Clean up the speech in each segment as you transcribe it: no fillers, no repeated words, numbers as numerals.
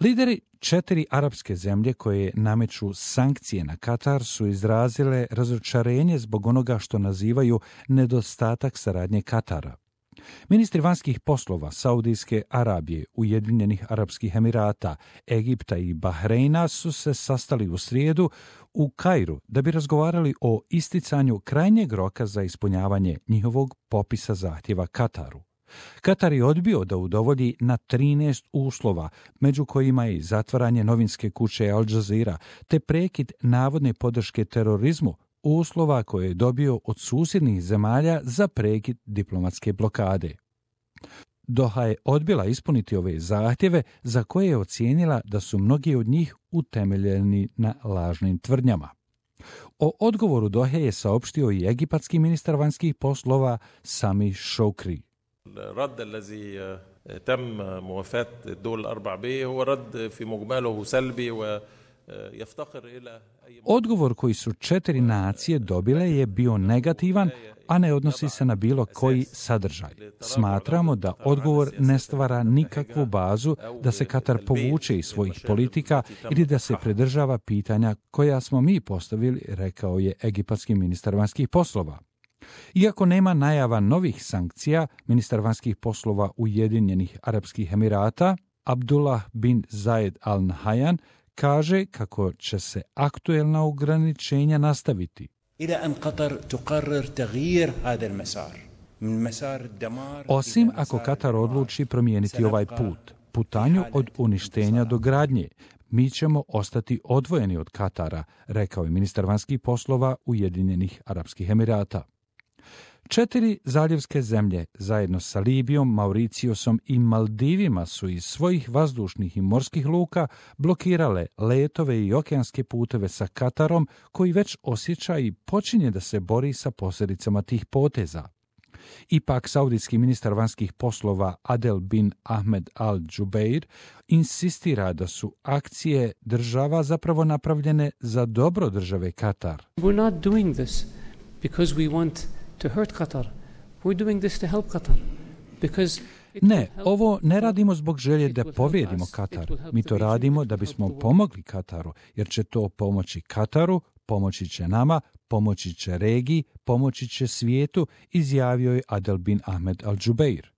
Lideri 4 arapske zemlje koje nameću sankcije na Katar su izrazile razočarenje zbog onoga što nazivaju nedostatak saradnje Katara. Ministri vanjskih poslova Saudijske Arabije, Ujedinjenih Arapskih Emirata, Egipta i Bahreina su se sastali u srijedu u Kairu da bi razgovarali o isticanju krajnjeg roka za ispunjavanje njihovog popisa zahtjeva Kataru. Katar je odbio da udovolji na 13 uslova, među kojima je zatvaranje novinske kuće Al Jazeera te prekid navodne podrške terorizmu, uslova koje je dobio od susjednih zemalja za prekid diplomatske blokade. Doha je odbila ispuniti ove zahtjeve za koje je ocijenila da su mnogi od njih utemeljeni na lažnim tvrdnjama. O odgovoru Dohe je saopštio i egipatski ministar vanjskih poslova Sami Shoukry. الرد الذي تم موافاة الدول الأربع به هو رد في مجمله سلبي ويفتقر إلى Odgovor koji su 4 nacije dobile je bio negativan, a ne odnosi se na bilo koji sadržaj. Smatramo da odgovor ne stvara nikakvu bazu da se Katar povuče iz svojih politika ili da se pridržava pitanja koja smo mi postavili, rekao je egipatski ministar vanjskih poslova. Iako nema najava novih sankcija, ministar vanjskih poslova Ujedinjenih Arapskih Emirata, Abdullah bin Zayed Al Nahyan, kaže kako će se aktuelna ograničenja nastaviti. Osim ako Katar odluči promijeniti ovaj put, putanju od uništenja do gradnje, mi ćemo ostati odvojeni od Katara, rekao je ministar vanjskih poslova Ujedinjenih Arapskih Emirata. 4 zaljevske zemlje, zajedno sa Libijom, Mauricijusom i Maldivima, su iz svojih vazdušnih i morskih luka blokirale letove i okeanske puteve sa Katarom, koji već osjeća i počinje da se bori sa posljedicama tih poteza. Ipak, saudijski ministar vanjskih poslova Adel bin Ahmed Al Jubeir insistira da su akcije država zapravo napravljene za dobro države Katar. We're not doing this because we want to hurt Qatar. We're doing this to help Qatar. Because Ne, ovo ne radimo zbog želje da povrijedimo Katar. Mi to radimo da bismo pomogli Kataru, jer će to pomoći Kataru, pomoći će nama, pomoći će regiji, pomoći će svijetu, izjavio je Adel bin Ahmed Al Jubeir.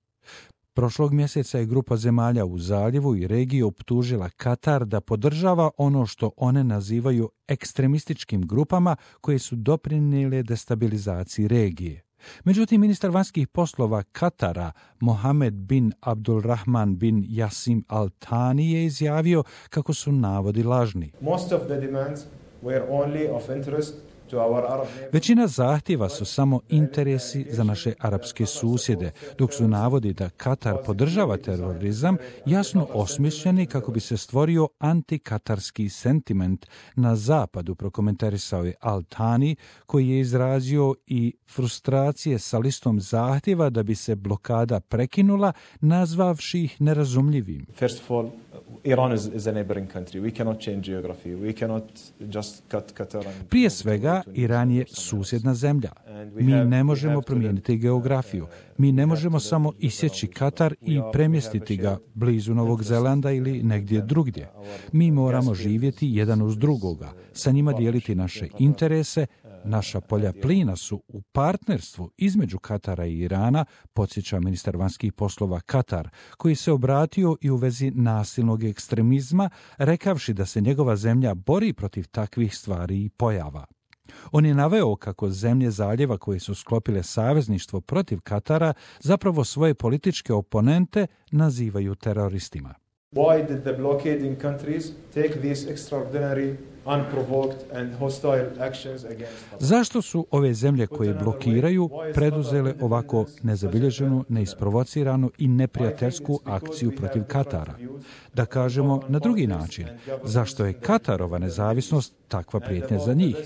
Prošlog mjeseca je grupa zemalja u zaljevu i regiji optužila Katar da podržava ono što one nazivaju ekstremističkim grupama koje su doprinijele destabilizaciji regije. Međutim, ministar vanjskih poslova Katara, Mohamed bin Abdulrahman bin Jassim Al Thani, je izjavio kako su navodi lažni. Most of the demands were only of interest. Većina zahtjeva su samo interesi za naše arapske susjede, dok su navodi da Katar podržava terorizam jasno osmišljeni kako bi se stvorio antikatarski sentiment na zapadu, prokomentarisao je Al Thani, koji je izrazio i frustracije sa listom zahtjeva da bi se blokada prekinula, nazvavši ih nerazumljivim. First of all, Iran is a neighboring country. We cannot change geography. We cannot just cut Qatar. Prije svega, Iran je susjedna zemlja. Mi ne možemo promijeniti geografiju. Mi ne možemo samo isjeći Katar i premjestiti ga blizu Novog Zelanda ili negdje drugdje. Mi moramo živjeti jedan uz drugoga, sa njima dijeliti naše interese. Naša polja plina su u partnerstvu između Katara i Irana, podsjeća ministar vanjskih poslova Katar, koji se obratio i u vezi nasilnog ekstremizma, rekavši da se njegova zemlja bori protiv takvih stvari i pojava. On je naveo kako zemlje zaljeva koje su sklopile savezništvo protiv Katara zapravo svoje političke oponente nazivaju teroristima. Why did the blockading countries take these extraordinary, unprovoked and hostile actions against us? Zašto su ove zemlje koje blokiraju preduzele ovako nezabilježenu, neisprovociranu i neprijateljsku akciju protiv Katara? Da kažemo na drugi način, zašto je Katarova nezavisnost takva prijetnja za njih?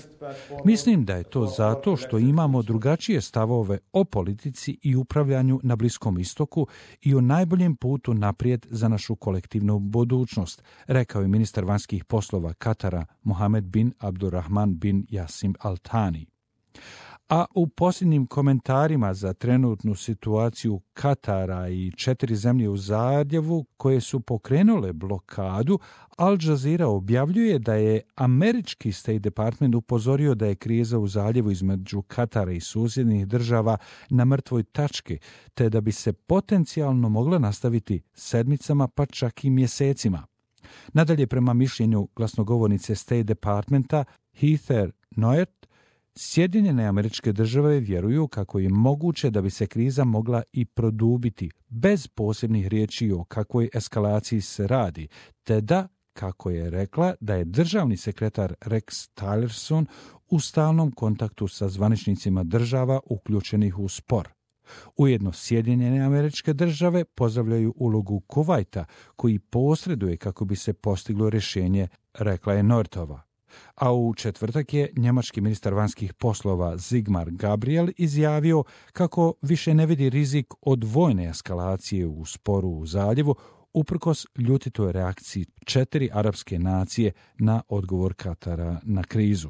Mislim da je to zato što imamo drugačije stavove o politici i upravljanju na Bliskom istoku i o najboljem putu naprijed za našu kolektivnu budućnost, rekao je ministar vanjskih poslova Katara Mohamed bin Abdulrahman bin Jassim Al Thani. A u posljednjim komentarima za trenutnu situaciju Katara i 4 zemlje u zaljevu koje su pokrenule blokadu, Al Jazeera objavljuje da je američki State Department upozorio da je kriza u zaljevu između Katara i susjednih država na mrtvoj tački, te da bi se potencijalno mogla nastaviti sedmicama pa čak i mjesecima. Nadalje, prema mišljenju glasnogovornice State Departmenta Heather Nauert, Sjedinjene Američke Države vjeruju kako je moguće da bi se kriza mogla i produbiti bez posebnih riječi o kakvoj eskalaciji se radi, te da, kako je rekla, da je državni sekretar Rex Tillerson u stalnom kontaktu sa zvaničnicima država uključenih u spor. Ujedno, Sjedinjene Američke Države pozdravljaju ulogu Kuvajta, koji posreduje kako bi se postiglo rješenje, rekla je Nortova. A u četvrtak je njemački ministar vanjskih poslova Sigmar Gabriel izjavio kako više ne vidi rizik od vojne eskalacije u sporu u zaljevu, uprkos ljutitoj reakciji 4 arapske nacije na odgovor Katara na krizu.